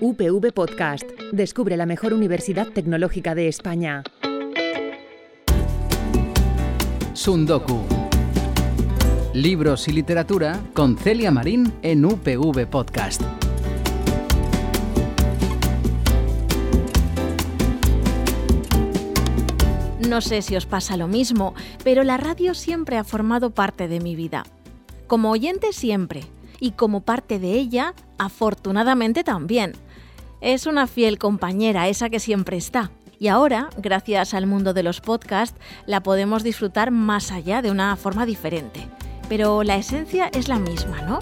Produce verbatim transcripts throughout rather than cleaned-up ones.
U P V Podcast. Descubre la mejor universidad tecnológica de España. Sundoku. Libros y literatura con Celia Marín en U P V Podcast. No sé si os pasa lo mismo, pero la radio siempre ha formado parte de mi vida. Como oyente siempre, y como parte de ella, afortunadamente también. Es una fiel compañera, esa que siempre está. Y ahora, gracias al mundo de los podcasts, la podemos disfrutar más allá de una forma diferente. Pero la esencia es la misma, ¿no?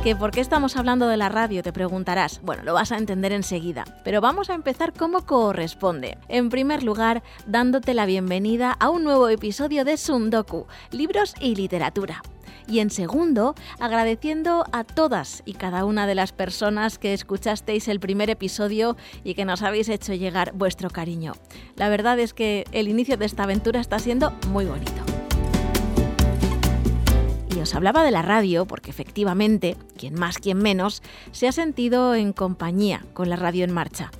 ¿Que por qué estamos hablando de la radio? Te preguntarás. Bueno, lo vas a entender enseguida. Pero vamos a empezar como corresponde. En primer lugar, dándote la bienvenida a un nuevo episodio de Sundoku, Libros y Literatura. Y en segundo, agradeciendo a todas y cada una de las personas que escuchasteis el primer episodio y que nos habéis hecho llegar vuestro cariño. La verdad es que el inicio de esta aventura está siendo muy bonito. Y os hablaba de la radio porque efectivamente, quien más, quien menos, se ha sentido en compañía con la radio en marcha.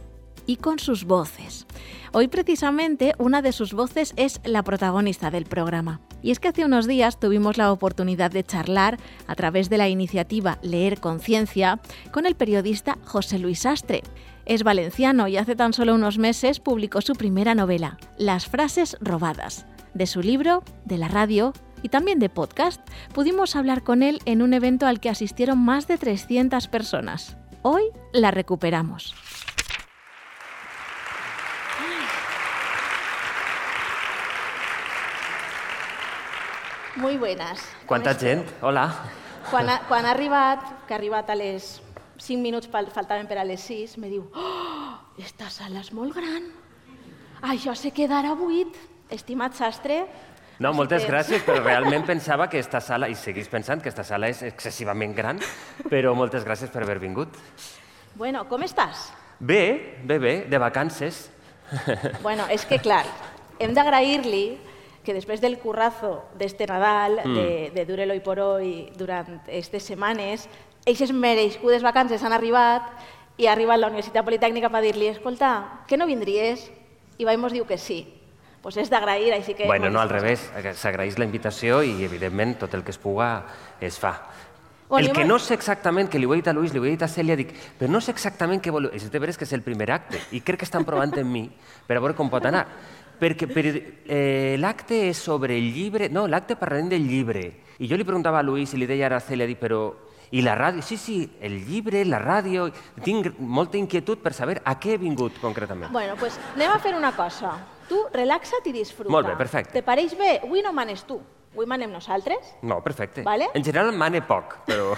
Y con sus voces. Hoy precisamente una de sus voces es la protagonista del programa. Y es que hace unos días tuvimos la oportunidad de charlar a través de la iniciativa Leer Conciencia con el periodista José Luis Sastre. Es valenciano y hace tan solo unos meses publicó su primera novela, Las frases robadas. De su libro, de la radio y también de podcast, pudimos hablar con él en un evento al que asistieron más de trescientas personas. Hoy la recuperamos. Muy buenas. Quanta gent? Hola. Quan ha, quan ha arribat, que ha arribat a les cinc minuts, faltaven per a les sis, me diu «Oh, esta sala és molt gran. Això se quedarà buit». Estimat Sastre... No, moltes gràcies, però realment pensava que esta sala, i seguís pensant que esta sala és excessivament gran, però moltes gràcies per haver vingut. Bueno, com estàs? Bé, bé, bé, de vacances. Bueno, és que clar, hem d'agrair-li que després del currazo d'este Nadal, mm. de, de Dure-lo i por hoy, durant aquestes setmanes, eixes mereixudes vacances han arribat i ha arribat la Universitat Politècnica per dir-li escolta, que no vindries? I Vaimos diu que sí. Pues és d'agrair, així que... Bueno, no, al revés, s'agraeix la invitació i, evidentment, tot el que es puga es fa. El que no sé exactament, que li ho he dit a Luis, li ho he dit a Cèlia, dic, però no sé exactament què voleu... És de veres que és el primer acte, i crec que estan provant en mi per a veure com pot anar. Perquè per, eh, l'acte és sobre el llibre... No, l'acte parlarem del llibre. I jo li preguntava a Luis i li deia ara a Cèlia, dic, però... I la ràdio? Sí, sí, el llibre, la ràdio... Tinc molta inquietud per saber a què he vingut, concretament. Bueno, doncs anem a fer una cosa. Tu relaxa't i disfruta. Molt bé, perfecte. Te pareix bé? Avui no manes tu. Avui manem nosaltres. No, perfecte. ¿Vale? En general mane poc, però...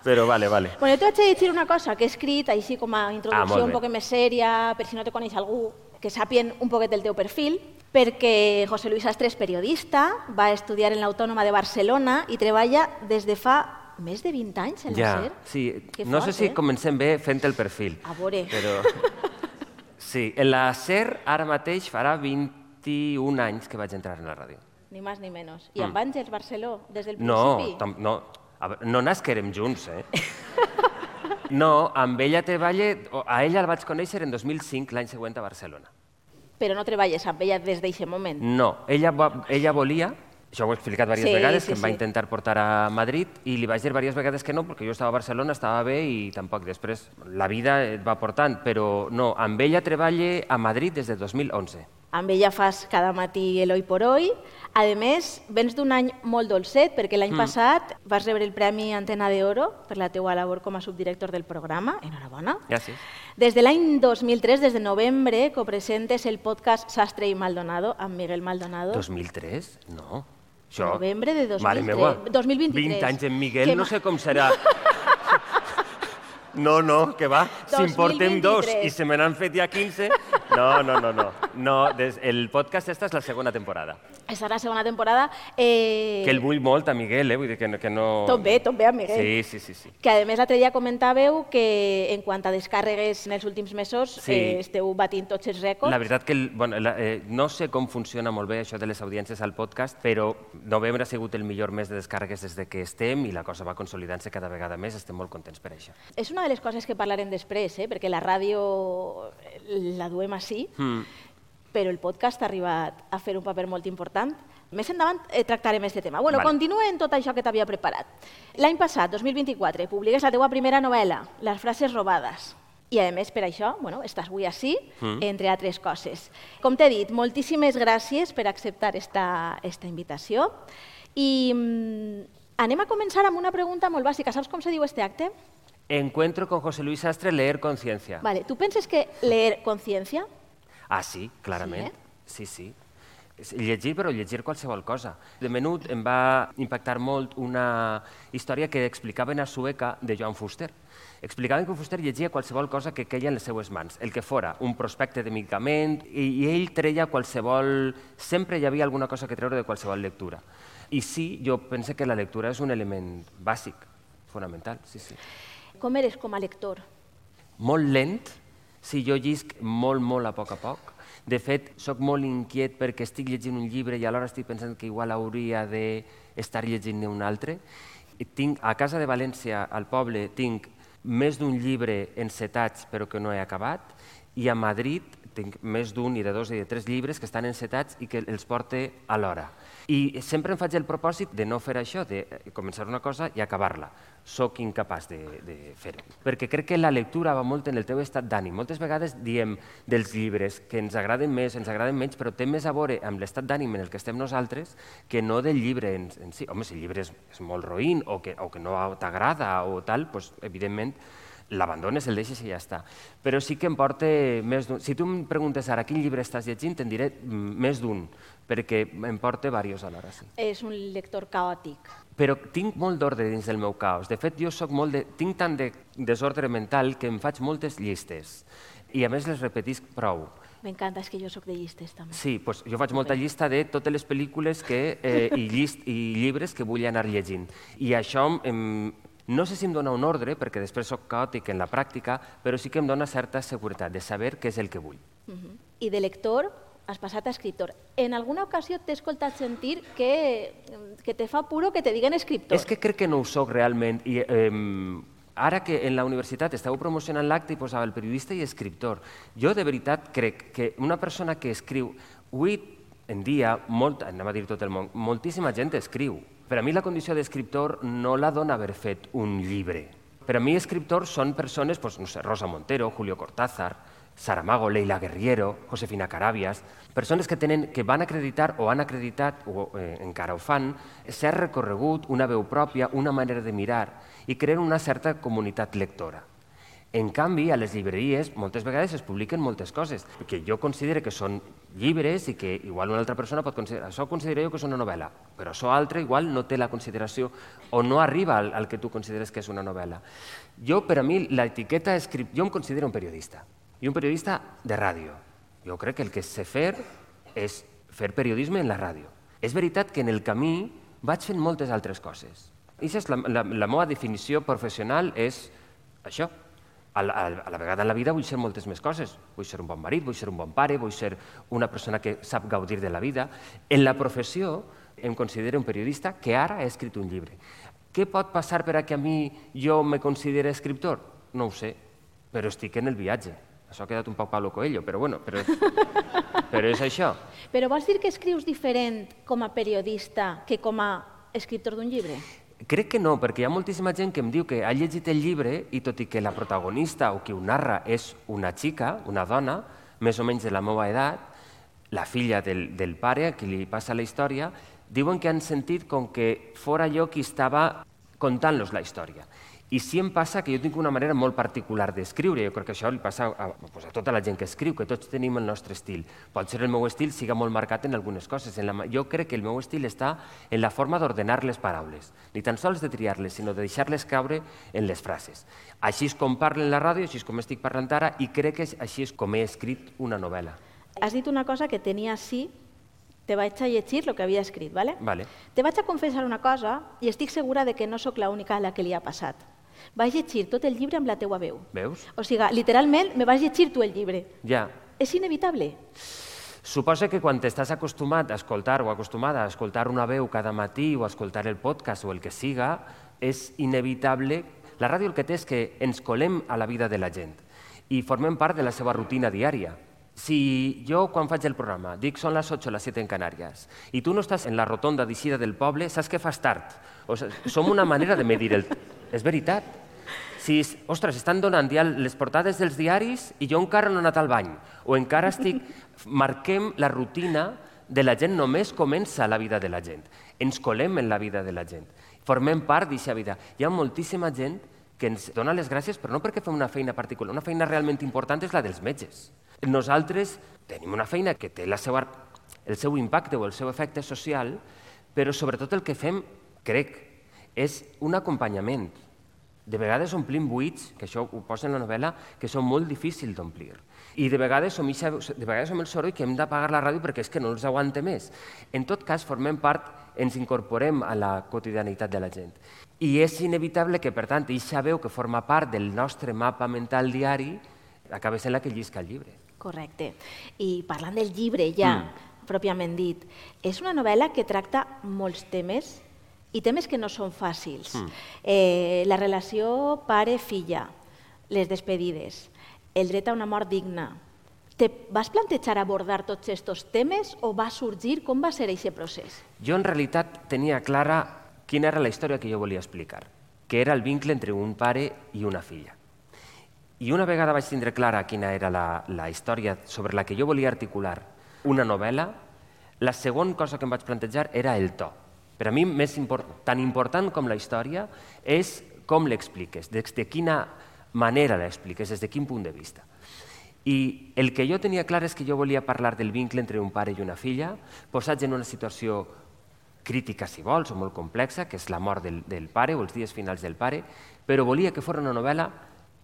però vale, vale. Bueno, jo t'haig de dir una cosa que he escrit així com a introducció ah, un poc més sèria, per si no te coneix algú, que sàpien un poquet del teu perfil, perquè José Luis Sastre és periodista, va estudiar en l'Autònoma de Barcelona i treballa des de fa més de vint anys en la SER. Ja, sí. No sé si comencem bé fent el perfil. A veure. Però... Sí, en la SER ara mateix farà vint-i-un anys que vaig entrar en la ràdio. Ni més ni menys. I amb Àngels Barceló, des del principi? No, no, no nasquerem junts, eh? No, amb ella treballe... A ella la vaig conèixer en dos mil cinc, l'any següent a Barcelona. Però no treballes amb ella des d'aquest moment? No, ella, ella volia... Això ho he explicat diverses sí, vegades, sí, que em va sí. intentar portar a Madrid i li vaig dir diverses vegades que no, perquè jo estava a Barcelona, estava bé i tampoc després la vida et va portant, però no, amb ella treballe a Madrid des de dos mil onze. Amb ella fas cada matí el Hoy por Hoy. A més, vens d'un any molt dolcet, perquè l'any mm. passat vas rebre el Premi Antena d'Oro per la teua labor com a subdirector del programa. Enhorabona. Gràcies. Des de l'any dos mil tres, des de novembre, copresentes el podcast Sastre i Maldonado amb Miguel Maldonado. dos mil tres? No. Això... Novembre de dos mil tres. Mare meua. dos mil vint-i-tres. vint anys en Miguel, que no sé com serà. No, no, que va. Si en portem dos i se me n'han fet ja quinze... No, no, no, no. no des... El podcast esta és la segona temporada. Estarà la segona temporada. Eh... Que el vull molt a Miguel, eh? Vull dir que no... Que no... Tot bé, tot bé a Miguel. Sí, sí, sí, sí. Que a més l'altre dia comentàveu que en quant a descàrregues en els últims mesos sí. eh, esteu batint tots els rècords. La veritat que el, bueno, la, eh, no sé com funciona molt bé això de les audiències al podcast, però novembre ha sigut el millor mes de descàrregues des de que estem i la cosa va consolidant-se cada vegada més, estem molt contents per això. És una de les coses que parlarem després, eh? Perquè la ràdio la duem així, mm. però el podcast ha arribat a fer un paper molt important. Més endavant eh, tractarem aquest tema. Bueno, vale. Continua en tot això que t'havia preparat. L'any passat, dos mil vint-i-quatre, publiques la teua primera novel·la, Les frases robades. I, a més, per això, bueno, estàs avui així, mm. entre altres coses. Com t'he dit, moltíssimes gràcies per acceptar esta, esta invitació. I mm, anem a començar amb una pregunta molt bàsica. Saps com se diu este acte? Encuentro con José Luis Sastre, leer conciencia. Vale. Tu penses que leer conciencia? Ah, sí, clarament. Sí, eh? sí. sí. Llegir, però llegir qualsevol cosa. De menut em va impactar molt una història que explicaven a Sueca de Joan Fuster. Explicaven que Fuster llegia qualsevol cosa que queia en les seues mans, el que fora, un prospecte de medicament, i, i ell treia qualsevol... Sempre hi havia alguna cosa que treure de qualsevol lectura. I sí, jo penso que la lectura és un element bàsic, fonamental, sí, sí. Com eres com a lector? Molt lent, sí, jo llisc molt, molt a poc a poc. De fet, sóc molt inquiet perquè estic llegint un llibre i alhora estic pensant que igual hauria d'estar llegint-ne un altre. Tinc, a casa de València, al poble, tinc més d'un llibre encetats però que no he acabat, i a Madrid tinc més d'un i de dos i de tres llibres que estan encetats i que els porte alhora. I sempre em faig el propòsit de no fer això, de començar una cosa i acabar-la. Soc incapaç de, de fer-ho. Perquè crec que la lectura va molt en el teu estat d'ànim. Moltes vegades diem dels llibres que ens agraden més, ens agraden menys, però té més a veure amb l'estat d'ànim en el que estem nosaltres que no del llibre en, en si. Home, si el llibre és, és molt roïn o que, o que no t'agrada o tal, doncs, evidentment, l'abandones, el deixes i ja està. Però sí que em porta més d'un... Si tu em preguntes ara quin llibre estàs llegint, te'n diré més d'un, perquè em porta diversos alhora. Sí. És un lector caòtic. Però tinc molt d'ordre dins del meu caos. De fet, jo soc molt de... tinc tant de desordre mental que em faig moltes llistes i a més les repetisc prou. M'encanta, és que jo soc de llistes també. Sí, doncs jo faig molta llista de totes les pel·lícules que, eh, i, llist, i llibres que vull anar llegint. I això em... No sé si em dona un ordre, perquè després soc caòtic en la pràctica, però sí que em dona certa seguretat de saber què és el que vull. Uh-huh. I de lector has passat a escriptor. En alguna ocasió t'he escoltat sentir que, que te fa puro que te diguen escriptor. És que crec que no ho soc realment. I, eh, ara que en la universitat esteu promocionant l'acte i posava el periodista i escriptor. Jo de veritat crec que una persona que escriu... Avui en dia, molt, anem a dir tot el món, moltíssima gent escriu. Per a mi la condició d'escriptor no la dona haver fet un llibre. Per a mi escriptors són persones, doncs, no sé, Rosa Montero, Julio Cortázar, Saramago, Leila Guerriero, Josefina Carabias, persones que, tenen, que van acreditar o han acreditat, o eh, encara ho fan, s'ha recorregut una veu pròpia, una manera de mirar i creen una certa comunitat lectora. En canvi, a les llibreries moltes vegades es publiquen moltes coses que jo considero que són llibres i que igual una altra persona pot considerar. Això considero jo que és una novel·la, però això altre igual no té la consideració o no arriba al, al que tu consideres que és una novel·la. Jo, per a mi, l'etiqueta escrip... Jo em considero un periodista, i un periodista de ràdio. Jo crec que el que sé fer és fer periodisme en la ràdio. És veritat que en el camí vaig fent moltes altres coses. I la, la, la meva definició professional és això. A la, a la vegada en la vida vull ser moltes més coses. Vull ser un bon marit, vull ser un bon pare, vull ser una persona que sap gaudir de la vida. En la professió em considero un periodista que ara ha escrit un llibre. Què pot passar per a que a mi jo me consideri escriptor? No ho sé, però estic en el viatge. Això ha quedat un poc Paulo Coelho, però bueno, però, però és això. Però vols dir que escrius diferent com a periodista que com a escriptor d'un llibre? Crec que no, perquè hi ha moltíssima gent que em diu que ha llegit el llibre i tot i que la protagonista o qui ho narra és una xica, una dona, més o menys de la meva edat, la filla del, del pare a qui li passa la història, diuen que han sentit com que fora jo qui estava contant-los la història. I sí em passa que jo tinc una manera molt particular d'escriure, jo crec que això li passa a, pues, a tota la gent que escriu, que tots tenim el nostre estil. Pot ser el meu estil siga molt marcat en algunes coses. En la, jo crec que el meu estil està en la forma d'ordenar les paraules, ni tan sols de triar-les, sinó de deixar-les caure en les frases. Així és com parlo en la ràdio, així és com estic parlant ara, i crec que així és com he escrit una novel·la. Has dit una cosa que tenia sí te vaig a llegir el que havia escrit, ¿vale? Vale. Te vaig a confessar una cosa i estic segura de que no sóc l'única a la que li ha passat. Vaig llegir tot el llibre amb la teua veu. Veus? O sigui, literalment, me vas llegir tu el llibre. Ja. És inevitable. Suposa que quan t'estàs acostumat a escoltar o acostumada a escoltar una veu cada matí o a escoltar el podcast o el que siga, és inevitable. La ràdio el que té és que ens colem a la vida de la gent i formem part de la seva rutina diària. Si jo, quan faig el programa, dic són les ocho, les siete en Canàries, i tu no estàs en la rotonda d'eixida del poble, saps que fas tard. O sigui, som una manera de medir el... És veritat. Si, ostres, estan donant ja les portades dels diaris i jo encara no he anat al bany, o encara estic... Marquem la rutina de la gent, només comença la vida de la gent. Ens colem en la vida de la gent. Formem part d'aquesta vida. Hi ha moltíssima gent que ens dona les gràcies, però no perquè fem una feina particular. Una feina realment important és la dels metges. Nosaltres tenim una feina que té la seva, el seu impacte o el seu efecte social, però sobretot el que fem, crec, és un acompanyament. De vegades omplim buits, que això ho posa en la novel·la, que són molt difícils d'omplir. I de vegades som, ixa, de vegades som el soroll que hem d'apagar la ràdio perquè és que no els aguanta més. En tot cas, formem part, ens incorporem a la quotidianitat de la gent. I és inevitable que, per tant, eixa veu que forma part del nostre mapa mental diari acaba sent la que llisca el llibre. Correcte. I parlant del llibre ja, mm. pròpiament dit, és una novel·la que tracta molts temes i temes que no són fàcils. Mm. Eh, la relació pare-filla, les despedides, el dret a una mort digna. Te vas plantejar abordar tots aquests temes o va sorgir? Com va ser aquest procés? Jo, en realitat, tenia clara quina era la història que jo volia explicar, que era el vincle entre un pare i una filla. I una vegada vaig tindre clara quina era la, la història sobre la que jo volia articular una novel·la, la segona cosa que em vaig plantejar era el to. Per a mi, més import, tan important com la història és com l'expliques, des de quina manera l'expliques, des de quin punt de vista. I el que jo tenia clar és que jo volia parlar del vincle entre un pare i una filla, posats en una situació crítica, si vols, o molt complexa, que és la mort del, del pare o els dies finals del pare, però volia que fos una novel·la,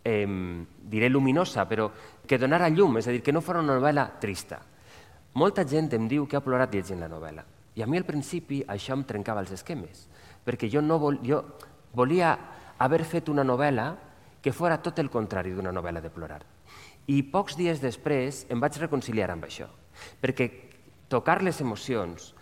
eh, diré luminosa, però que donara llum, és a dir, que no fos una novel·la trista. Molta gent em diu que ha plorat llegint la novel·la. I a mi al principi això em trencava els esquemes, perquè jo, no vol, jo volia haver fet una novel·la que fora tot el contrari d'una novel·la de plorar. I pocs dies després em vaig reconciliar amb això, perquè tocar les emocions,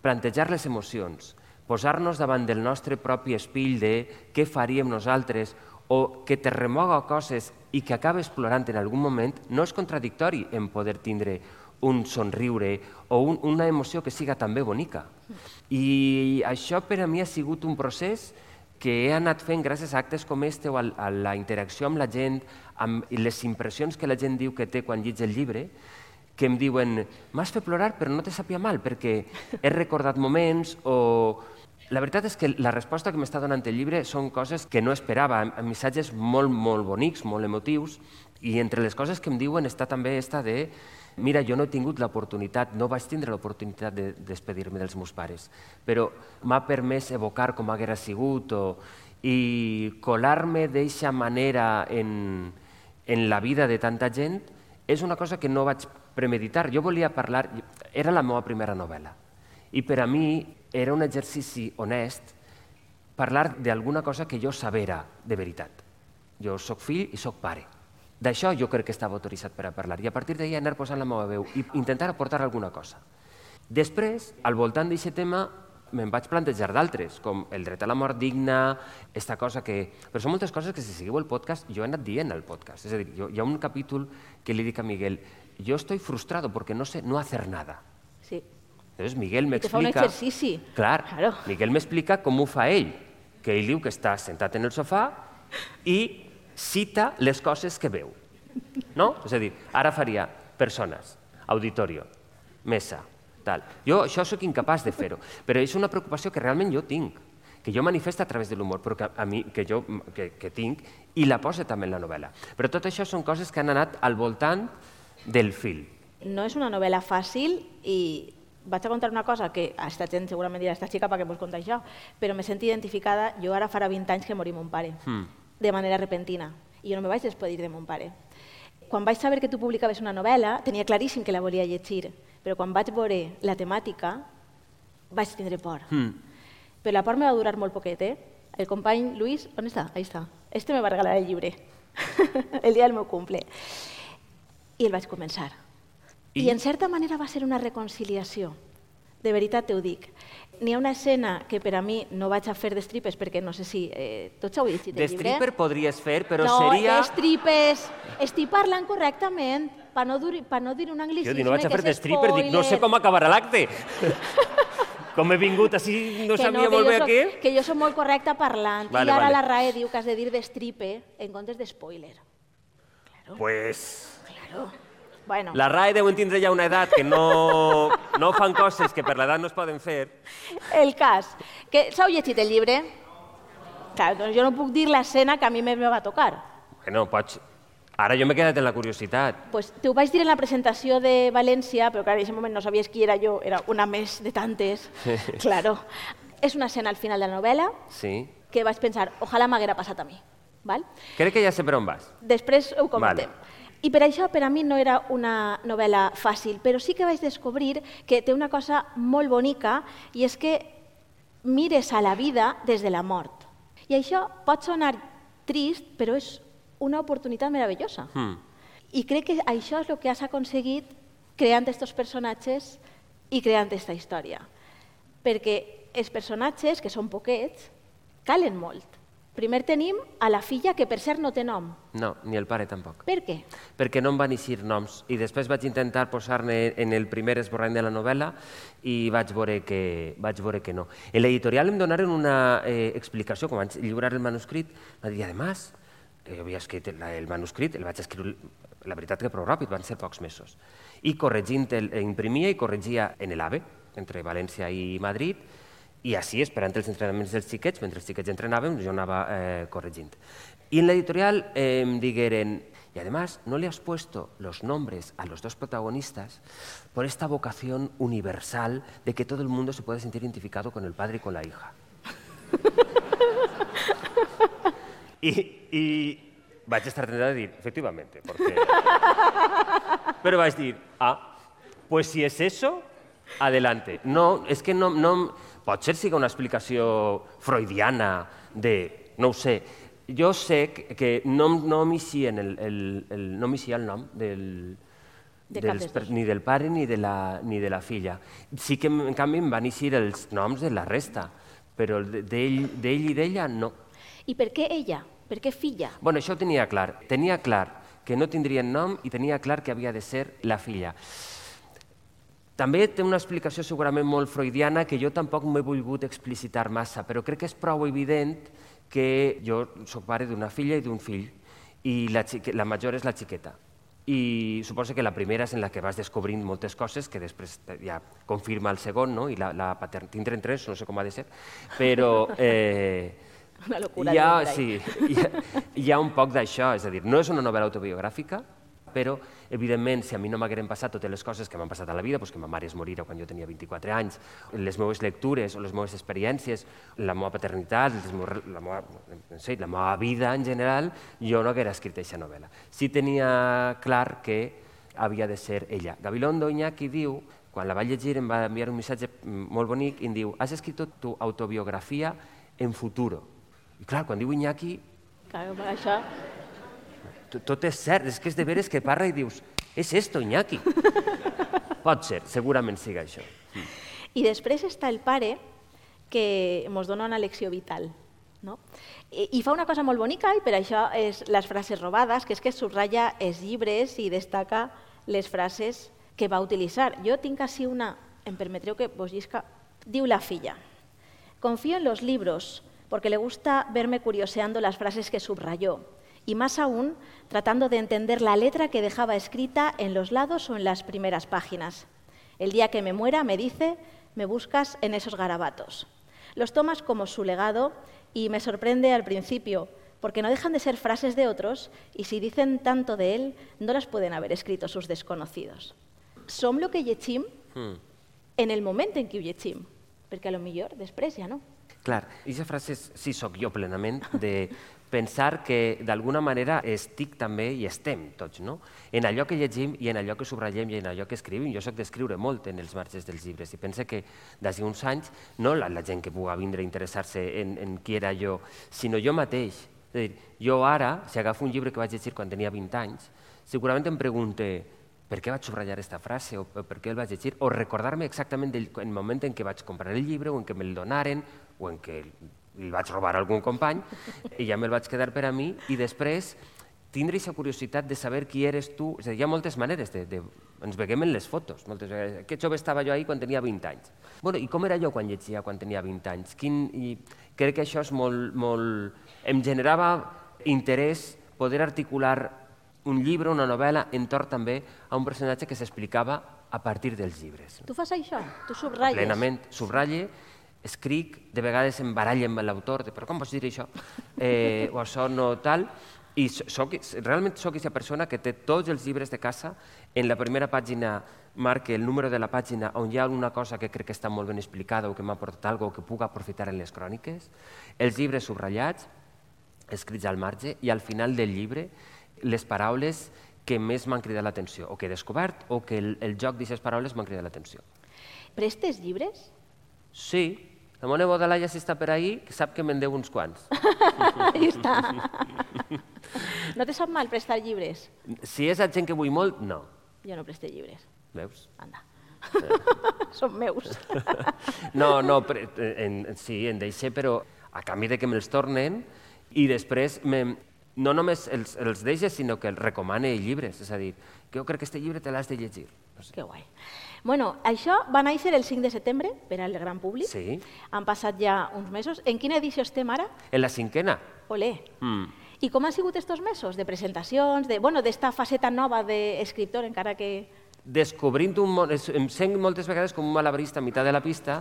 plantejar les emocions, posar-nos davant del nostre propi espill de què faríem nosaltres o que te remoga coses i que acabes plorant en algun moment, no és contradictori en poder tindre un somriure o un, una emoció que siga també bonica. I això per a mi ha sigut un procés que he anat fent gràcies a actes com este o a, a la interacció amb la gent, amb les impressions que la gent diu que té quan llig el llibre, que em diuen, m'has fet plorar però no te sàpia mal perquè he recordat moments o... La veritat és que la resposta que m'està donant el llibre són coses que no esperava, amb missatges molt, molt bonics, molt emotius, i entre les coses que em diuen està també esta de mira, jo no he tingut l'oportunitat, no vaig tindre l'oportunitat de despedir-me dels meus pares, però m'ha permès evocar com haguera sigut o, i colar-me d'eixa manera en, en la vida de tanta gent és una cosa que no vaig premeditar. Jo volia parlar, era la meva primera novel·la, i per a mi era un exercici honest parlar d'alguna cosa que jo sabera de veritat. Jo soc fill i soc pare. D'això jo crec que estava autoritzat per a parlar i a partir d'ahir anar posant la meva veu i intentar aportar alguna cosa. Després, al voltant d'aquest tema, me'n vaig plantejar d'altres, com el dret a la mort digna, esta cosa que... Però són moltes coses que si seguiu el podcast jo he anat dient al podcast. És a dir, jo, hi ha un capítol que li dic a Miguel, yo estoy frustrado porque no sé no hacer nada. Sí. Entonces Miguel me explica... I te fa un exercici. Clar, claro. Miguel m'explica com ho fa ell, que ell diu que està sentat en el sofà i cita les coses que veu. No? És a dir, ara faria persones, auditorio, mesa, tal. Jo això sóc incapaç de fer-ho, però és una preocupació que realment jo tinc, que jo manifesto a través de l'humor, però que, a mi, que jo que, que tinc, i la poso també en la novel·la. Però tot això són coses que han anat al voltant del fil. No és una novel·la fàcil i vaig a contar una cosa que a esta gent segurament dirà, esta xica, per què vols contar això? Però me sento identificada, jo ara farà vint anys que morí mon pare, mm. de manera repentina, i jo no me vaig despedir de mon pare. quan vaig saber que tu publicaves una novel·la, tenia claríssim que la volia llegir, però quan vaig veure la temàtica vaig tindre por. Mm. Però la por me va durar molt poquet, eh? El company Luis, on està? Ahí està. Este me va regalar el llibre, el dia del meu cumple. I el vaig començar. I, I en certa manera va ser una reconciliació. De veritat t'ho dic. N'hi ha una escena que per a mi no vaig a fer d'estripes perquè no sé si... Eh, tots heu llegit el llibre? D'estripes podries fer, però no, seria... No, d'estripes. Estic parlant correctament per no, pa no dir un anglicisme jo dic, no vaig a fer que és d'estripes, dic, no sé com acabarà l'acte. Com he vingut així, no sabia molt bé aquí. Que jo soc molt correcta parlant. Vale, I ara vale. la R A E diu que has de dir d'estripe en comptes d'espoiler. Claro. Pues... Claro. Bueno. La R A E deuen tindre ja una edat que no, no fan coses que per l'edat no es poden fer. El cas. Que s'heu llegit el llibre? Clar, doncs jo no puc dir l'escena que a mi me va tocar. Bueno, pots... Ara jo m'he quedat en la curiositat. Pues t'ho vaig dir en la presentació de València, però clar, en aquest moment no sabies qui era jo, era una més de tantes. Claro. És una escena al final de la novel·la sí. que vaig pensar, ojalà m'haguera passat a mi. Val? Crec que ja sé per on vas. Després ho comentem. Vale. I per això per a mi no era una novel·la fàcil, però sí que vaig descobrir que té una cosa molt bonica i és que mires a la vida des de la mort. I això pot sonar trist, però és una oportunitat meravellosa. Mm. I crec que això és el que has aconseguit creant aquests personatges i creant aquesta història. Perquè els personatges, que són poquets, calen molt. Primer tenim a la filla, que per cert no té nom. No, ni el pare tampoc. Per què? Perquè no em van eixir noms. I després vaig intentar posar-ne en el primer esborrany de la novel·la i vaig veure que, vaig veure que no. En l'editorial em donaren una eh, explicació, quan vaig lliurar el manuscrit, va dir, además, jo havia escrit el, el manuscrit, el vaig escriure, la veritat que prou ràpid, van ser pocs mesos. I corregint, el, imprimia i corregia en l'AVE, entre València i Madrid, i així, esperant els entrenaments dels xiquets, mentre els xiquets entrenaven, jo anava eh, corregint. I en l'editorial eh, em digueren, y además no le has puesto los nombres a los dos protagonistas por esta vocación universal de que todo el mundo se puede sentir identificado con el padre y con la hija. I, i vaig estar tentat de dir, efectivamente, porque... Però vaig dir, ah, pues si es eso, adelante. No, és que no, no... Potser siga una explicació freudiana de... No ho sé. Jo sé que, que no, no m'eixia el, el, el, no m'eixia el nom del, de dels, ni del pare ni de, la, ni de la filla. Sí que, en canvi, em van eixir els noms de la resta, però d'ell i d'ella no. I per què ella? Per què filla? Bueno, això ho tenia clar. Tenia clar que no tindrien nom i tenia clar que havia de ser la filla. També té una explicació segurament molt freudiana que jo tampoc m'he volgut explicitar massa, però crec que és prou evident que jo soc pare d'una filla i d'un fill i la, la major és la xiqueta. I suposo que la primera és en la que vas descobrint moltes coses que després ja confirma el segon, no? I la, la patern... tindrem tres, no sé com ha de ser, però... Eh, una locura. Hi ha, sí, hi ha, hi ha un poc d'això, és a dir, no és una novel·la autobiogràfica, però, evidentment, si a mi no m'hagueren passat totes les coses que m'han passat a la vida, doncs que ma mare es morira quan jo tenia vint-i-quatre anys, les meves lectures o les meves experiències, la meva paternitat, la meva, no sé, la meva vida en general, jo no haguera escrit aquesta novel·la. Sí tenia clar que havia de ser ella. Gabilondo Iñaki diu, quan la vaig llegir em va enviar un missatge molt bonic i em diu, has escrit tu autobiografia en futuro. I clar, quan diu Iñaki... Clar, això... Tot és cert, és que és de veres que parla i dius, és esto, Iñaki. Pot ser, segurament siga això. I després està el pare que ens dona una lecció vital. No? I, I fa una cosa molt bonica i per això és les frases robades, que és que subratlla els llibres i destaca les frases que va utilitzar. Jo tinc així una, em permetreu que vos llisca, diu la filla. Confío en los libros porque le gusta verme curioseando las frases que subrayó. Y más aún, tratando de entender la letra que dejaba escrita en los lados o en las primeras páginas. El día que me muera, me dice, me buscas en esos garabatos. Los tomas como su legado y me sorprende al principio, porque no dejan de ser frases de otros y si dicen tanto de él, no las pueden haber escrito sus desconocidos. Som lo que llegim mm. en el moment en què ho llegim, perquè a lo millor després ja no. Clar, aquesta frase sí soc jo plenament de pensar que d'alguna manera estic també i estem tots, no? En allò que llegim i en allò que subratllem i en allò que escrivim. Jo soc d'escriure molt en els marges dels llibres i pense que d'ací uns anys, no la, la gent que pugui vindre a interessar-se en, en qui era jo, sinó jo mateix. És a dir, jo ara, si agafo un llibre que vaig llegir quan tenia vint anys, segurament em pregunte per què vaig subratllar aquesta frase o per què el vaig llegir, o recordar-me exactament del moment en què vaig comprar el llibre o en què me'l donaren o en què el vaig robar a algun company i ja me'l vaig quedar per a mi i després tindre aquesta curiositat de saber qui eres tu. És a dir, hi ha moltes maneres de... de ens veiem en les fotos, moltes vegades. Que jove estava jo ahir quan tenia vint anys. Bueno, i com era jo quan llegia quan tenia vint anys? Quin... I crec que això és molt, molt... Em generava interès poder articular un llibre, una novel·la, entorn també a un personatge que s'explicava a partir dels llibres. Tu fas això? Tu subratlles? Plenament. Subratlle, escric, de vegades em barallo amb l'autor, però com pots dir això? Eh, o això no tal. I soc, realment soc aquesta persona que té tots els llibres de casa. En la primera pàgina marca el número de la pàgina on hi ha alguna cosa que crec que està molt ben explicada o que m'ha aportat alguna cosa que puc aprofitar en les cròniques. Els llibres subratllats, escrits al marge, i al final del llibre les paraules que més m'han cridat l'atenció, o que he descobert, o que el, el joc d'aquestes paraules m'han cridat l'atenció. Prestes llibres? Sí. La meva neboda Laia, si està per ahí, que sap que me'n deu uns quants. Ahí està. No te sap mal prestar llibres? Si és a gent que vull molt, no. Jo no preste llibres. Veus? Anda. Són meus. No, no, en, sí, en deixé, però a canvi de que me'ls tornen i després me, no només els, els deixes, sinó que els recomane llibres. És a dir, que jo crec que aquest llibre te l'has de llegir. No sé. Que guai. Bueno, això va néixer el cinc de setembre per al gran públic. Sí. Han passat ja uns mesos. En quina edició estem ara? En la cinquena. Olé. Mm. I com han sigut estos mesos? De presentacions, de, bueno, d'esta faceta nova d'escriptor, encara que... Descobrint un món, em sent moltes vegades com un malabarista a meitat de la pista,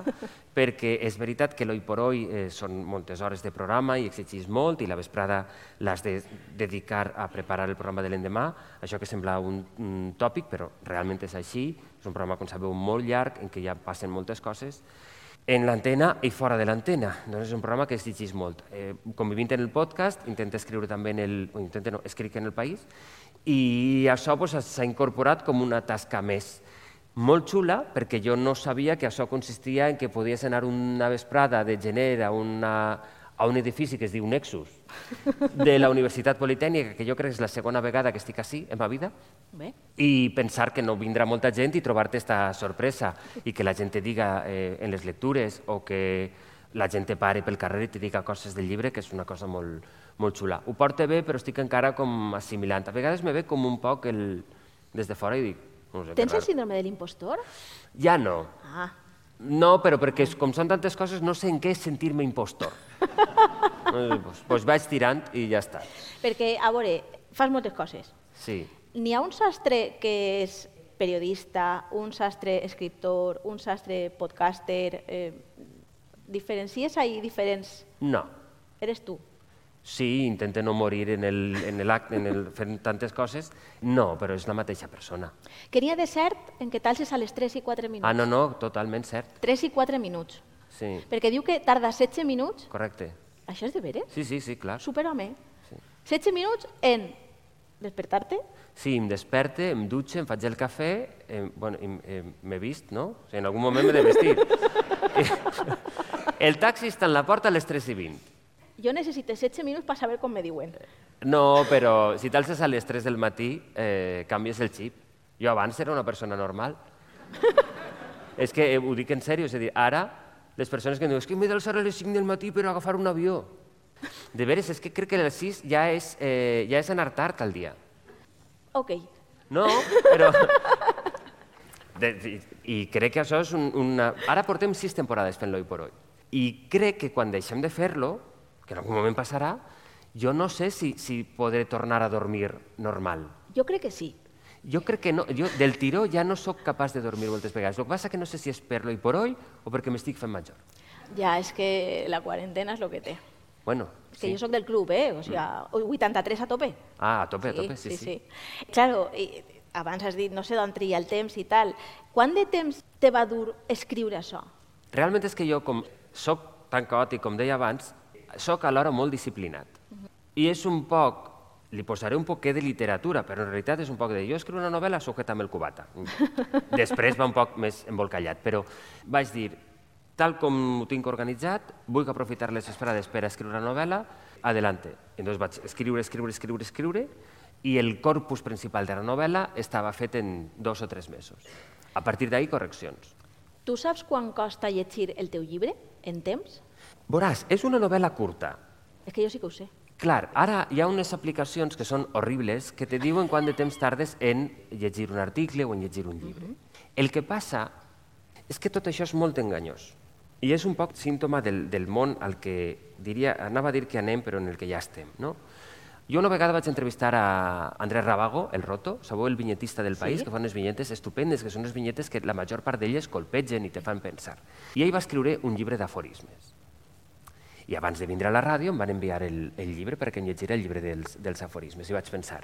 perquè és veritat que l'Hoy por Hoy eh, són moltes hores de programa i exigís molt, i la vesprada l'has de dedicar a preparar el programa de l'endemà, això que sembla un, un tòpic, però realment és així, és un programa, com sabeu, molt llarg, en què ja passen moltes coses, en l'antena i fora de l'antena. Doncs és un programa que exigís molt. Eh, convivint en el podcast, intento escriure també en el... o intento no, escric en el País, i això s'ha pues, incorporat com una tasca més. Molt xula, perquè jo no sabia que això consistia en que podies anar una vesprada de gener a, una, a un edifici que es diu Nexus, de la Universitat Politècnica, que jo crec que és la segona vegada que estic així en ma vida, Bé. i pensar que no vindrà molta gent i trobar-te esta sorpresa, i que la gent te diga eh, en les lectures, o que la gent te pare pel carrer i te diga coses del llibre, que és una cosa molt, molt xula. Ho porta bé, però estic encara com assimilant. A vegades me ve com un poc el... des de fora i dic... No sé, Tens el síndrome de l'impostor? Ja no. Ah. No, però perquè com són tantes coses no sé en què és sentir-me impostor. Doncs pues vaig tirant i ja està. Perquè, a veure, fas moltes coses. Sí. N'hi ha un sastre que és periodista, un sastre escriptor, un sastre podcaster... Eh, diferencies ahí diferents? No. Eres tu? Sí, intento no morir en el, en el acte, en el, fent tantes coses. No, però és la mateixa persona. Que n'hi ha de cert en que t'alces a les tres i quatre minuts? Ah, no, no, totalment cert. tres i quatre minuts. Sí. Perquè diu que tarda setze minuts. Correcte. Això és de veres? Sí, sí, sí, clar. Superhome. Sí. setze minuts en despertar-te? Sí, em desperte, em dutxe, em faig el cafè, eh, bueno, eh, m'he vist, no? O sigui, en algun moment m'he de vestir. El taxi està en la porta a les tres i vint. Jo necessito setze minuts per saber com me diuen. No, però si t'alces a les tres del matí, eh, canvies el xip. Jo abans era una persona normal. És que eh, ho dic en sèrio, és a dir, ara les persones que em diuen és que m'he d'alçar a les cinc del matí per agafar un avió. De veres, és que crec que a les sis ja és, eh, ja és anar tard al dia. Ok. No, però... De, i, I crec que això és un, una... Ara portem sis temporades fent l'Hoy por Hoy. I crec que quan deixem de fer-lo, que en algun moment passarà, jo no sé si, si podré tornar a dormir normal. Jo crec que sí. Jo crec que no. Jo del tiró ja no sóc capaç de dormir moltes vegades. El que passa que no sé si és per l'Hoy por Hoy o perquè m'estic fent major. Ja, és que la quarantena és el que té. Bueno, és que sí. jo sóc del club, eh? O sigui, vuitanta-tres a tope. Ah, a tope, a tope, sí, sí. sí. sí. Claro, i abans has dit, no sé d'on tria el temps i tal. Quant de temps te va dur escriure això? Realment és que jo, com soc tan caòtic, com deia abans, soc alhora molt disciplinat. I és un poc, li posaré un poquet de literatura, però en realitat és un poc de jo escriu una novel·la, sujeta amb el cubata. Després va un poc més embolcallat, però vaig dir, tal com ho tinc organitzat, vull aprofitar les esperades per escriure una novel·la, adelante. Llavors vaig escriure, escriure, escriure, escriure, i el corpus principal de la novel·la estava fet en dos o tres mesos. A partir d'ahí, correccions. Tu saps quan costa llegir el teu llibre, en temps? Veuràs, és una novel·la curta. És que jo sí que ho sé. Clar, ara hi ha unes aplicacions que són horribles que te diuen quant de temps tardes en llegir un article o en llegir un llibre. El que passa és que tot això és molt enganyós. I és un poc símptoma del, del món al que diria, anava a dir que anem, però en el que ja estem. No? Jo una vegada vaig entrevistar a Andrés Rabago, el Roto, sabeu, el vinyetista del País, Sí. que fa unes vinyetes estupendes, que són unes vinyetes que la major part d'elles colpegen i te fan pensar. I ell va escriure un llibre d'aforismes. I abans de vindre a la ràdio em van enviar el, el llibre perquè em llegiré el llibre dels, dels aforismes. I vaig pensar,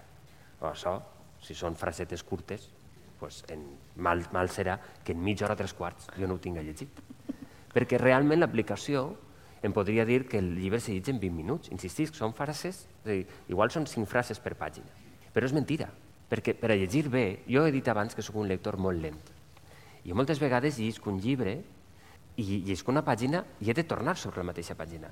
oh, això, si són frasetes curtes, pues en, mal, mal serà que en mitja hora o tres quarts jo no ho tinc llegit. Perquè realment l'aplicació em podria dir que el llibre se llegeix en vint minuts. Insistisc, són frases, és a dir, igual són cinc frases per pàgina. Però és mentira, perquè per a llegir bé, jo he dit abans que sóc un lector molt lent. I moltes vegades llisc un llibre i llisc una pàgina i he de tornar sobre la mateixa pàgina.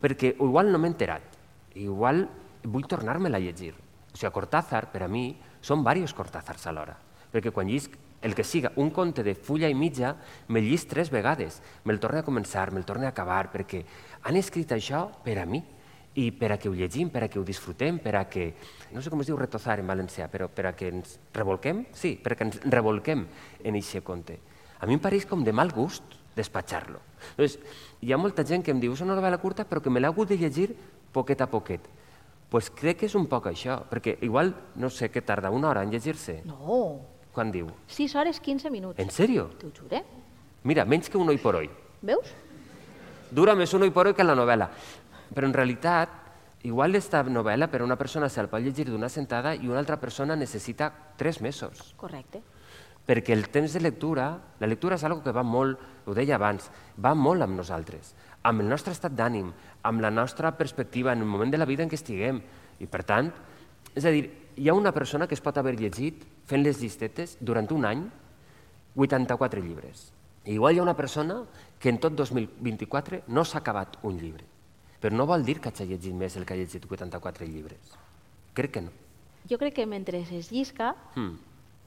Perquè igual no m'he enterat, igual vull tornar-me-la a llegir. O sigui, Cortázar, per a mi, són diversos Cortázars alhora. Perquè quan llisc el que siga un conte de fulla i mitja, me'l llisc tres vegades. Me'l torne a començar, me'l torne a acabar, perquè han escrit això per a mi i per a que ho llegim, per a que ho disfrutem, per a que, no sé com es diu retozar en valencià, però per a que ens revolquem, sí, per a que ens revolquem en aquest conte. A mi em pareix com de mal gust despatxar-lo. Doncs hi ha molta gent que em diu és una novel·la curta però que me l'ha hagut de llegir poquet a poquet. Doncs crec que és un poc això, perquè igual, no sé, què tarda una hora en llegir-se? No. Quan diu? sis hores, quinze minuts. En sèrio? T'ho jure. Mira, menys que un hoy por hoy. Veus? Dura més un hoy por hoy que la novel·la. Però en realitat, igual esta novel·la per a una persona se'l pot llegir d'una sentada i una altra persona necessita tres mesos. Correcte. Perquè el temps de lectura, la lectura és una cosa que va molt, ho deia abans, va molt amb nosaltres, amb el nostre estat d'ànim, amb la nostra perspectiva en el moment de la vida en què estiguem. I per tant, és a dir, hi ha una persona que es pot haver llegit, fent les llistetes, durant un any, vuitanta-quatre llibres. I igual hi ha una persona que en tot dos mil vint-i-quatre no s'ha acabat un llibre. Però no vol dir que hagi llegit més el que ha llegit vuitanta-quatre llibres. Crec que no. Jo crec que mentre es llisca, Mm,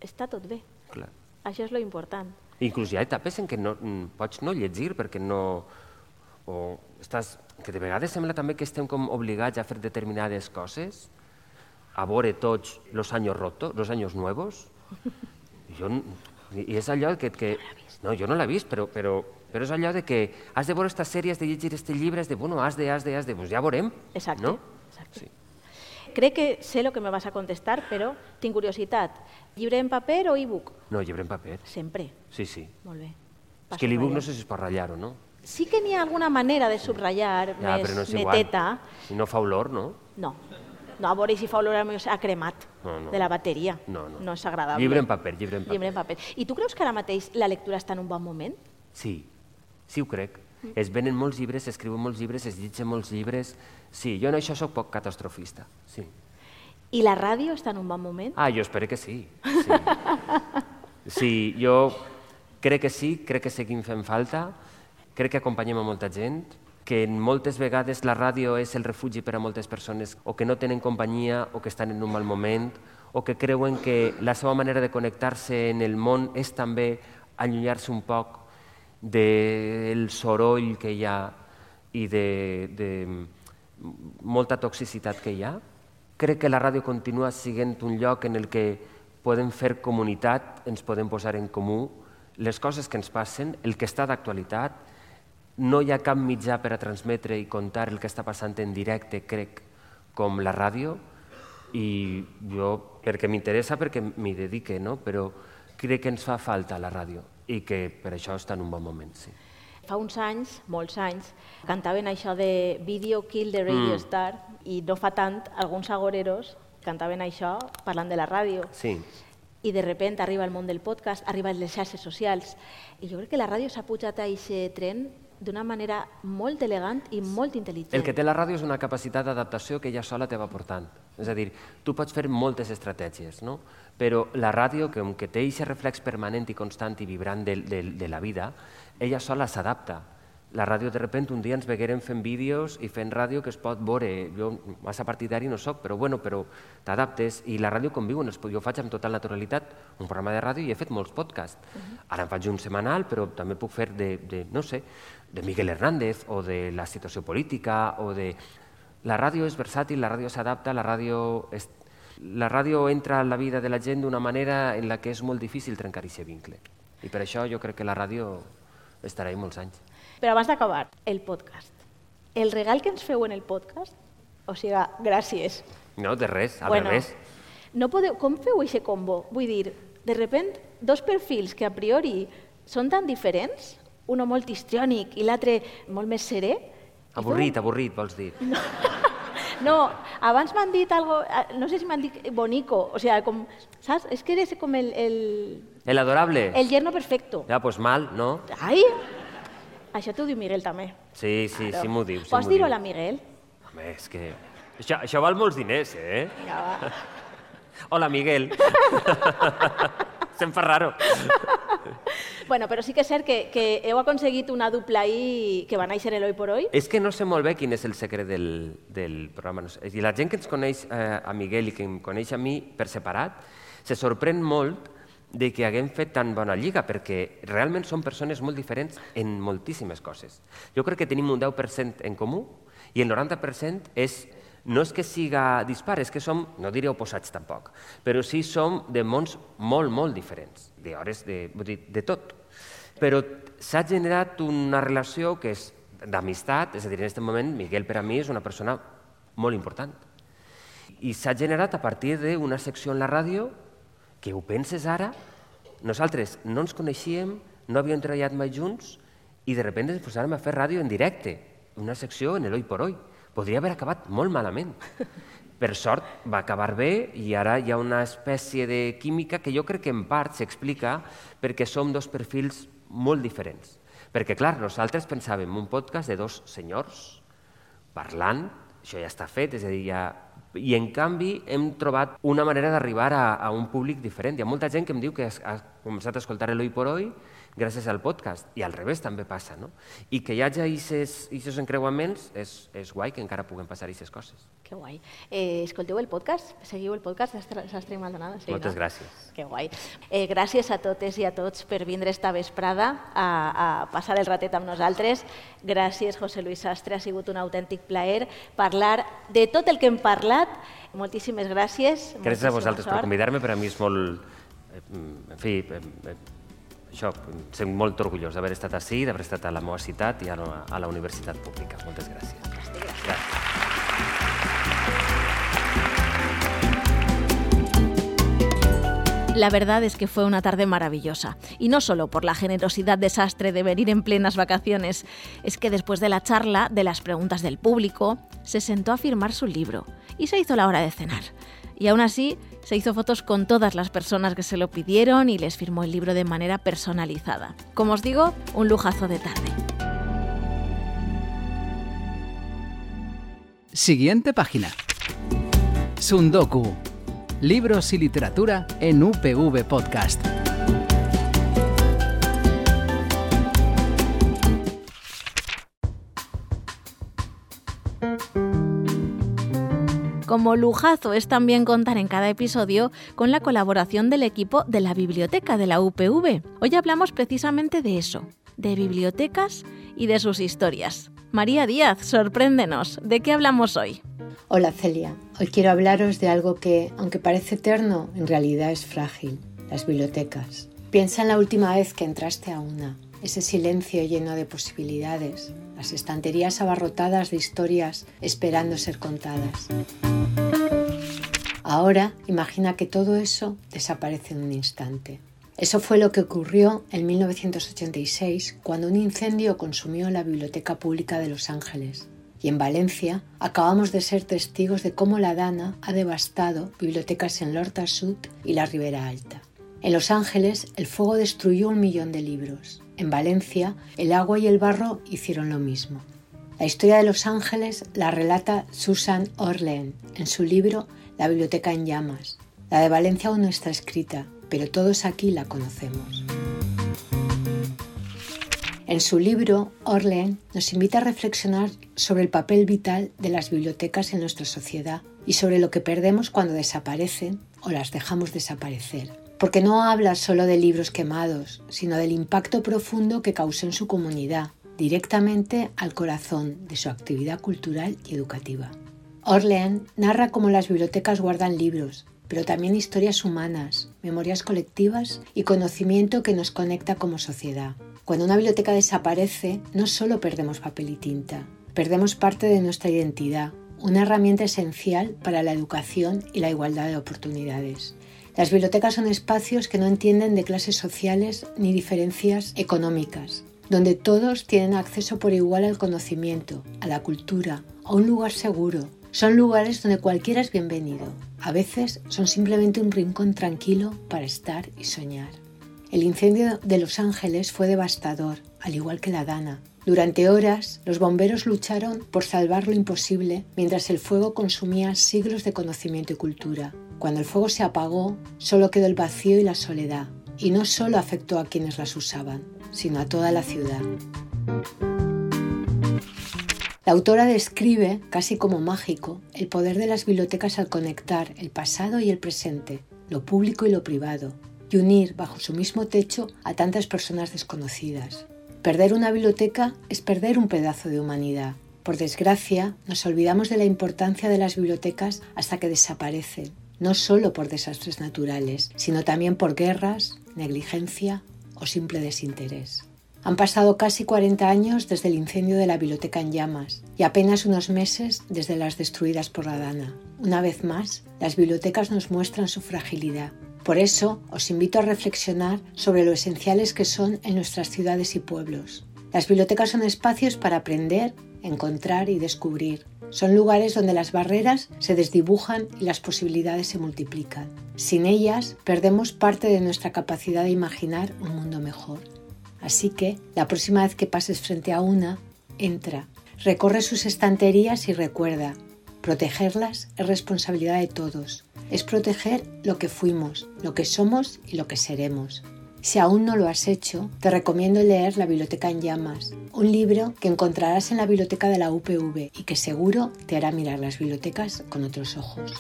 està tot bé. clar. Això és lo important. Inclús hi ha etapes en què no, mm, pots no llegir perquè no... O estàs, que de vegades sembla també que estem com obligats a fer determinades coses, a veure tots los años rotos, los años nuevos. Jo, I és allò que... que no, jo no l'he vist, però, però, però és allò de que has de veure esta sèrie, has de llegir este llibre, has de, bueno, has de, has de, has de, pues ja veurem. Exacte. No? Exacte. Sí. Crec que sé el que me vas a contestar, però tinc curiositat. Llibre en paper o e-book? No, llibre en paper. Sempre. Sí, sí. Molt bé. És que l'e-book no sé si es pot ratllar o no. Sí que n'hi ha alguna manera de subratllar Ja, més però no és igual. neteta. Si no fa olor, no? No. No, a veure si fa olor a cremat No, no. de la bateria. No, no. No és agradable. Llibre en paper, llibre en paper. Llibre en paper. I tu creus que ara mateix la lectura està en un bon moment? Sí, sí ho crec. Es venen molts llibres, s'escriuen molts llibres, es llegeixen molts llibres. Sí, jo en això sóc poc catastrofista, sí. I la ràdio està en un bon moment? Ah, jo espero que sí. Sí, sí jo crec que sí, crec que seguim fent falta, crec que acompanyem a molta gent, que moltes vegades la ràdio és el refugi per a moltes persones o que no tenen companyia o que estan en un mal moment o que creuen que la seva manera de connectar-se en el món és també allunyar-se un poc del soroll que hi ha i de, de molta toxicitat que hi ha. Crec que la ràdio continua sent un lloc en el que podem fer comunitat, ens podem posar en comú les coses que ens passen, el que està d'actualitat. No hi ha cap mitjà per a transmetre i contar el que està passant en directe, crec, com la ràdio, i jo, perquè m'interessa, perquè m'hi dedique, no? Però crec que ens fa falta la ràdio i que per això està en un bon moment, sí. Fa uns anys, molts anys, cantaven això de Video Kill the Radio Mm. Star i no fa tant, alguns agoreros cantaven això parlant de la ràdio. Sí, I de repente arriba el món del podcast, arriben les xarxes socials. I jo crec que la ràdio s'ha pujat a aquest tren d'una manera molt elegant i molt intel·ligent. El que té la ràdio és una capacitat d'adaptació que ella sola te va portant. És a dir, tu pots fer moltes estratègies, no? Però la ràdio, que, que té aquest reflex permanent i constant i vibrant de, de, de la vida, ella sola s'adapta. La ràdio, de repente, un dia ens veguérem fent vídeos i fent ràdio que es pot veure. Jo massa partidari no soc, però bueno, però t'adaptes. I la ràdio conviu. Jo faig amb total naturalitat un programa de ràdio i he fet molts podcasts. Uh-huh. Ara en faig un setmanal, però també puc fer de, de, no sé, de Miguel Hernández o de la situació política o de... La ràdio és versàtil, la ràdio s'adapta, la ràdio... És... La ràdio entra a la vida de la gent d'una manera en la que és molt difícil trencar aquest vincle. I per això jo crec que la ràdio estarà ahí molts anys. Però abans d'acabar, el podcast. El regal que ens feu en el podcast, o sigui, gràcies. No, de res, al bueno, revés. No podeu, com feu aquest combo? Vull dir, de repente, dos perfils que a priori són tan diferents, un molt histriònic i l'altre molt més serè. Avorrit, feu... avorrit, vols dir. No, no, abans m'han dit algo, no sé si m'han dit bonico, o sigui, com, saps? És que eres com el... El, el adorable. El yerno perfecto. Ja, pues mal, no? Ai, això t'ho diu Miguel també. Sí, sí, claro. Sí m'ho diu. Sí Pots dir-ho a la Miguel? Home, és que... Això, això val molts diners, eh? Vinga, va. Hola, Miguel. Se'm fa raro. Bueno, però sí que és cert que, que heu aconseguit una dupla ahí que va néixer l'Hoy por Hoy. És que no sé molt bé quin és el secret del, del programa. No sé. I la gent que ens coneix eh, a Miguel i que em coneix a mi per separat se sorprèn molt de que haguem fet tan bona lliga, perquè realment som persones molt diferents en moltíssimes coses. Jo crec que tenim un deu per cent en comú i el noranta per cent és, no és que siga dispar, és que som, no diré oposats tampoc, però sí som de mons molt, molt diferents, d'hores, de, vull dir, de tot. Però s'ha generat una relació que és d'amistat, és a dir, en aquest moment Miguel per a mi és una persona molt important. I s'ha generat a partir d'una secció en la ràdio que ho penses ara, nosaltres no ens coneixíem, no havíem treballat mai junts i de repente ens posàrem a fer ràdio en directe, una secció en l'Hoy por Hoy. Podria haver acabat molt malament. Per sort va acabar bé i ara hi ha una espècie de química que jo crec que en part s'explica perquè som dos perfils molt diferents. Perquè, clar, nosaltres pensàvem un podcast de dos senyors parlant, això ja està fet, és a dir, ja... I, en canvi, hem trobat una manera d'arribar a, a un públic diferent. Hi ha molta gent que em diu que ha començat a escoltar l'Hoy por Hoy gràcies al podcast, i al revés també passa, no? I que hi hagi aquests encreuaments és, és guai que encara puguen passar aquestes coses. Que guai. Eh, escolteu el podcast? Seguiu el podcast Sastre i Maldonado? Sí, Moltes no? gràcies. Que guai. Eh, gràcies a totes i a tots per vindre esta vesprada a, a passar el ratet amb nosaltres. Gràcies, José Luis Sastre, ha sigut un autèntic plaer parlar de tot el que hem parlat. Moltíssimes gràcies. Gràcies a vosaltres per convidar-me, per a mi és molt... En fi... Això, soc molt orgullós d'haver estat ací, d'haver estat a la meva ciutat i a la, a la universitat pública. Moltes gràcies. Gràcies. Gràcies. La verdad es que fue una tarde maravillosa, y no solo por la generosidad de Sastre de venir en plenas vacaciones, es que después de la charla, de las preguntas del público, se sentó a firmar su libro y se hizo la hora de cenar. Y aún así, se hizo fotos con todas las personas que se lo pidieron y les firmó el libro de manera personalizada. Como os digo, un lujazo de tarde. Siguiente página. Sundoku. Libros y literatura en U P V Podcast. Como lujazo es también contar en cada episodio con la colaboración del equipo de la biblioteca de la U P V. Hoy hablamos precisamente de eso, de bibliotecas y de sus historias. María Díaz, sorpréndenos, ¿de qué hablamos hoy? Hola Celia, hoy quiero hablaros de algo que, aunque parece eterno, en realidad es frágil, las bibliotecas. Piensa en la última vez que entraste a una, ese silencio lleno de posibilidades, las estanterías abarrotadas de historias esperando ser contadas. Ahora, imagina que todo eso desaparece en un instante. Eso fue lo que ocurrió en mil novecientos ochenta y seis, cuando un incendio consumió la Biblioteca Pública de Los Ángeles. Y en Valencia acabamos de ser testigos de cómo la Dana ha devastado bibliotecas en l'Horta Sud y la Ribera Alta. En Los Ángeles, el fuego destruyó un millón de libros. En Valencia, el agua y el barro hicieron lo mismo. La historia de Los Ángeles la relata Susan Orlean en su libro La biblioteca en llamas. La de Valencia aún no está escrita, pero todos aquí la conocemos. En su libro, Orlean nos invita a reflexionar sobre el papel vital de las bibliotecas en nuestra sociedad y sobre lo que perdemos cuando desaparecen o las dejamos desaparecer. Porque no habla solo de libros quemados, sino del impacto profundo que causó en su comunidad, directamente al corazón de su actividad cultural y educativa. Orlean narra cómo las bibliotecas guardan libros, pero también historias humanas, memorias colectivas y conocimiento que nos conecta como sociedad. Cuando una biblioteca desaparece, no solo perdemos papel y tinta, perdemos parte de nuestra identidad, una herramienta esencial para la educación y la igualdad de oportunidades. Las bibliotecas son espacios que no entienden de clases sociales ni diferencias económicas, donde todos tienen acceso por igual al conocimiento, a la cultura, a un lugar seguro. Son lugares donde cualquiera es bienvenido. A veces son simplemente un rincón tranquilo para estar y soñar. El incendio de Los Ángeles fue devastador, al igual que la Dana. Durante horas, los bomberos lucharon por salvar lo imposible mientras el fuego consumía siglos de conocimiento y cultura. Cuando el fuego se apagó, solo quedó el vacío y la soledad. Y no solo afectó a quienes las usaban, sino a toda la ciudad. La autora describe, casi como mágico, el poder de las bibliotecas al conectar el pasado y el presente, lo público y lo privado, y unir bajo su mismo techo a tantas personas desconocidas. Perder una biblioteca es perder un pedazo de humanidad. Por desgracia, nos olvidamos de la importancia de las bibliotecas hasta que desaparecen, no solo por desastres naturales, sino también por guerras, negligencia o simple desinterés. Han pasado casi cuarenta años desde el incendio de la biblioteca en llamas y apenas unos meses desde las destruidas por la Dana. Una vez más, las bibliotecas nos muestran su fragilidad. Por eso, os invito a reflexionar sobre lo esenciales que son en nuestras ciudades y pueblos. Las bibliotecas son espacios para aprender, encontrar y descubrir. Son lugares donde las barreras se desdibujan y las posibilidades se multiplican. Sin ellas, perdemos parte de nuestra capacidad de imaginar un mundo mejor. Así que, la próxima vez que pases frente a una, entra, recorre sus estanterías y recuerda, protegerlas es responsabilidad de todos. Es proteger lo que fuimos, lo que somos y lo que seremos. Si aún no lo has hecho, te recomiendo leer La biblioteca en llamas, un libro que encontrarás en la biblioteca de la U P V y que seguro te hará mirar las bibliotecas con otros ojos.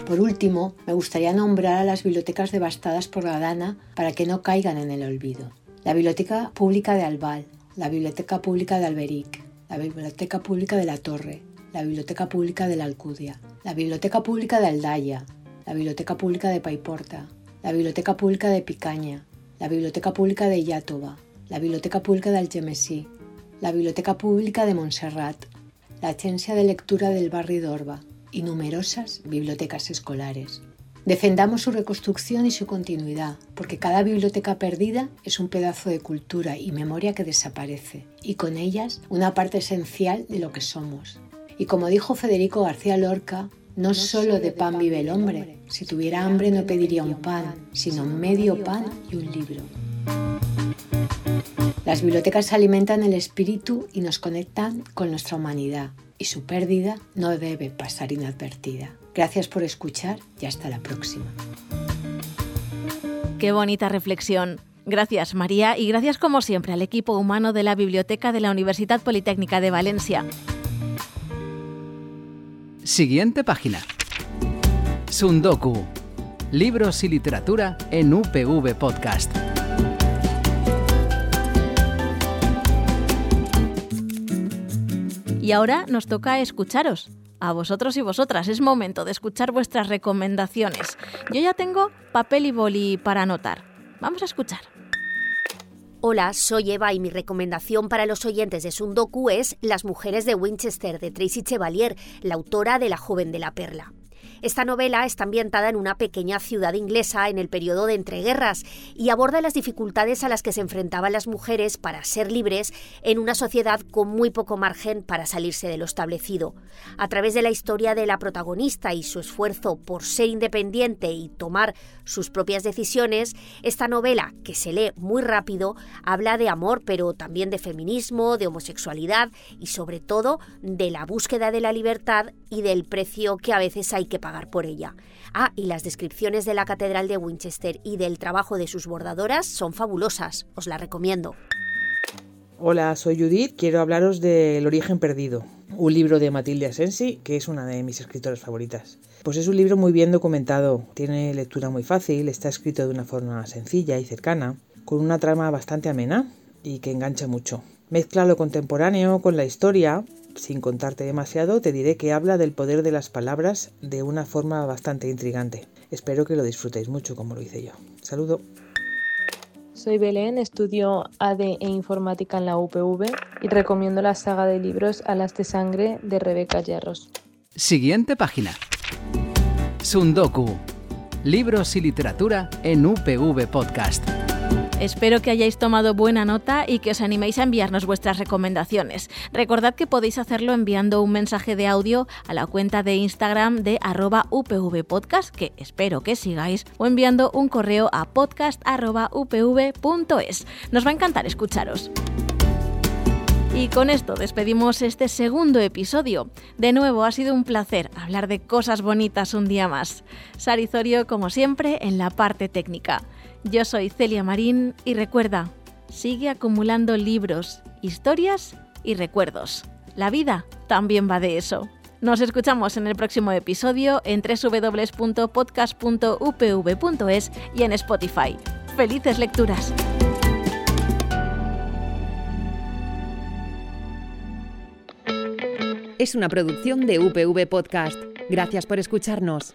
Por último, me gustaría nombrar a las bibliotecas devastadas por la Dana para que no caigan en el olvido. La Biblioteca Pública de Albal, la Biblioteca Pública de Alberic, la Biblioteca Pública de La Torre, la Biblioteca Pública de la Alcudia, la Biblioteca Pública de Aldaya, la Biblioteca Pública de Paiporta, la Biblioteca Pública de Picaña, la Biblioteca Pública de Iàtova, la Biblioteca Pública de Algemesí, la Biblioteca Pública de Montserrat, la Agencia de Lectura del Barri d'Orba y numerosas bibliotecas escolares. Defendamos su reconstrucción y su continuidad, porque cada biblioteca perdida es un pedazo de cultura y memoria que desaparece, y con ellas una parte esencial de lo que somos. Y como dijo Federico García Lorca, no solo de pan vive el hombre, si tuviera hambre no pediría un pan, sino medio pan y un libro. Las bibliotecas alimentan el espíritu y nos conectan con nuestra humanidad, y su pérdida no debe pasar inadvertida. Gracias por escuchar y hasta la próxima. Qué bonita reflexión. Gracias, María, y gracias como siempre al equipo humano de la Biblioteca de la Universidad Politécnica de Valencia. Siguiente página. Sundoku. Libros y literatura en U P V Podcast. Y ahora nos toca escucharos. A vosotros y vosotras, es momento de escuchar vuestras recomendaciones. Yo ya tengo papel y boli para anotar. Vamos a escuchar. Hola, soy Eva y mi recomendación para los oyentes de Sundoku es Las mujeres de Winchester, de Tracy Chevalier, la autora de La joven de la perla. Esta novela está ambientada en una pequeña ciudad inglesa en el periodo de entreguerras y aborda las dificultades a las que se enfrentaban las mujeres para ser libres en una sociedad con muy poco margen para salirse de lo establecido. A través de la historia de la protagonista y su esfuerzo por ser independiente y tomar sus propias decisiones, esta novela, que se lee muy rápido, habla de amor, pero también de feminismo, de homosexualidad y sobre todo de la búsqueda de la libertad y del precio que a veces hay que pagar por ella. Ah, y las descripciones de la Catedral de Winchester y del trabajo de sus bordadoras son fabulosas, os la recomiendo. Hola, soy Judith, quiero hablaros de El origen perdido, un libro de Matilde Asensi, que es una de mis escritoras favoritas. Pues es un libro muy bien documentado, tiene lectura muy fácil, está escrito de una forma sencilla y cercana, con una trama bastante amena y que engancha mucho. Mezcla lo contemporáneo con la historia. Sin contarte demasiado, te diré que habla del poder de las palabras de una forma bastante intrigante. Espero que lo disfrutéis mucho como lo hice yo. Saludo. Soy Belén, estudio A D e Informática en la U P V y recomiendo la saga de libros Alas de Sangre de Rebeca Yarros. Siguiente página. Sundoku. Libros y literatura en U P V Podcast. Espero que hayáis tomado buena nota y que os animéis a enviarnos vuestras recomendaciones. Recordad que podéis hacerlo enviando un mensaje de audio a la cuenta de Instagram de arroba upvpodcast, que espero que sigáis, o enviando un correo a podcast arroba upv punto es. Nos va a encantar escucharos. Y con esto despedimos este segundo episodio. De nuevo, ha sido un placer hablar de cosas bonitas un día más. Sari Zorio, como siempre, en la parte técnica. Yo soy Celia Marín y recuerda, sigue acumulando libros, historias y recuerdos. La vida también va de eso. Nos escuchamos en el próximo episodio en doble u doble u doble u punto podcast punto u p v punto es y en Spotify. ¡Felices lecturas! Es una producción de U P V Podcast. Gracias por escucharnos.